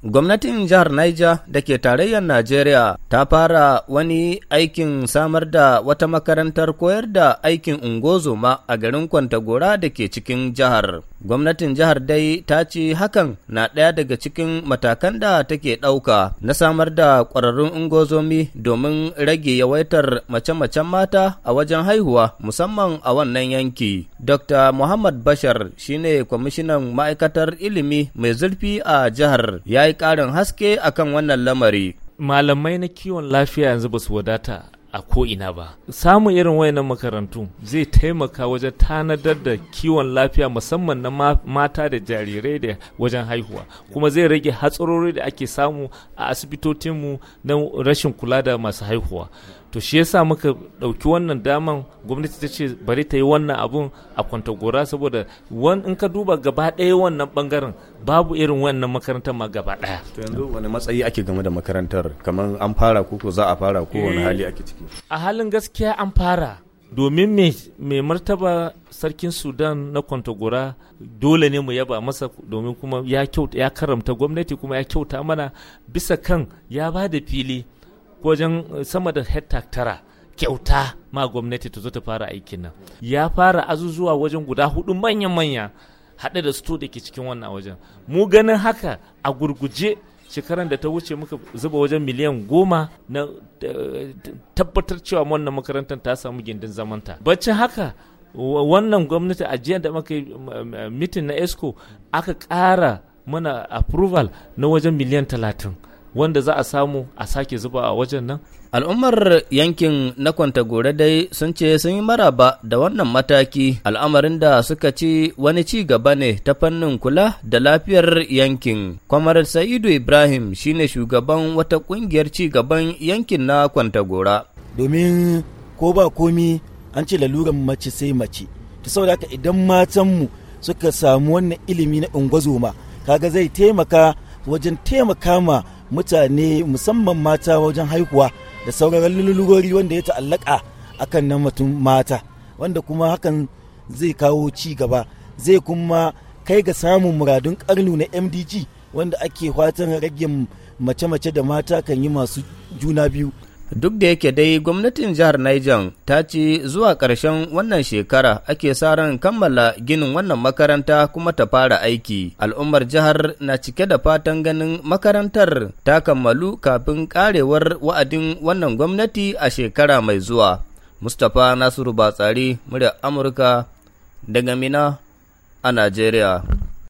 Gwamnatin jihar Niger da ke tarayyar Najeriya ta fara wani aikin samar da wata makarantar koyar da aikin ungozoma a garin Kwantagora da ke cikin jihar. Gwamnatin jihar dai ta ce hakan na ɗaya daga cikin matakan da take ɗauka na samar da ƙwararrun ungozomi domin rage yawaitar mace-macen mata a wajen haihuwa, musamman a wannan yanki. Dr. Muhammad Bashar shine kwamishinan ma'aikatar ilimi mai zurfi a jihar, ya yi ƙarin haske akan wannan lamari. Malamai na kiwon lafiya yanzu ba su wadata a ko'ina ba. Samun irin wayannan makarantu zai taimaka wajen tanadar da kiwon lafiya, musamman na mata da jarirai da wajen haihuwa, kuma zai rage hatsarori da ake samu a asibitocinmu na rashin kula da masu haihuwa. To, shi yasa muka ɗauki wannan daman, gwamnati ta ce bari ta yi wannan abun a Kwantagora, saboda in ka duba gaba ɗaya wannan bangaren, babu irin wannan makarantar ma gaba ɗaya. To, yanzu wani matsayi ake game da makarantar? Kamar an fara ko za a fara, ko wani hali ake ciki? A halin gaskiya an fara, domin mai martaba Sarkin Sudan na Kwantagora, dole ne mu yaba masa, domin kuma ya kyauta, ya karamta gwamnati, kuma ya kyauta mana bisa kan ya ba da fili wajen sama da hekta 9 kyauta ma gwamnati ta zo ta fara aikin nan. Ya fara azuzuwa wajen guda hudu manya-manya, haɗe da store da ke cikin wannan wajen. Mu ganin haka, a gurguje shekaran da ta wuce muka zuba wajen miliyan 10 na tabbatar cewa wannan makarantar ta samu gindin zamanta. Baccin haka, wannan gwamnati, a jiya da muka yi meeting na EXCO, aka ƙara mana approval na wajen miliyan 30 wanda za a samu a sake zuba a wajen nan. Al'ummar yankin na Kwantagora dai sun ce sun yi maraba da wannan mataki, al'amarin da suka ci wani ci gaba ne ta fannin kula da lafiyar yankin. Kwamar Sa'idu Ibrahim shine shugaban wata kungiyar ci gaban yankin na Kwantagora. Domin ko ba komi, an ce laluran mace sai mace. Ta saboda haka, idan matanmu suka samu wannan ilimi na ungozoma, kaga zai taimaka wajen taimaka ma mutane, musamman mata, wajen haihuwa da sauran lalurori wanda ya ta'allaka akan nan mutum mata, wanda kuma hakan zai kawo ci gaba, zai kuma kai ga samun muradun karnu na MDG, wanda ake fatan rage mace-mace da mata kan yi masu juna biyu. Duk da yake dai gwamnatin jihar Niger ta ce zuwa ƙarshen wannan shekara ake sa ran kammala ginin wannan makaranta kuma ta fara aiki. Al'ummar jihar na cike da fatan ganin makarantar ta kammalu kafin ƙarewar wa'adin wannan gwamnati a shekara mai zuwa. Mustapha Nasiru Batsari, muryar Amurka, daga Minna a Najeriya.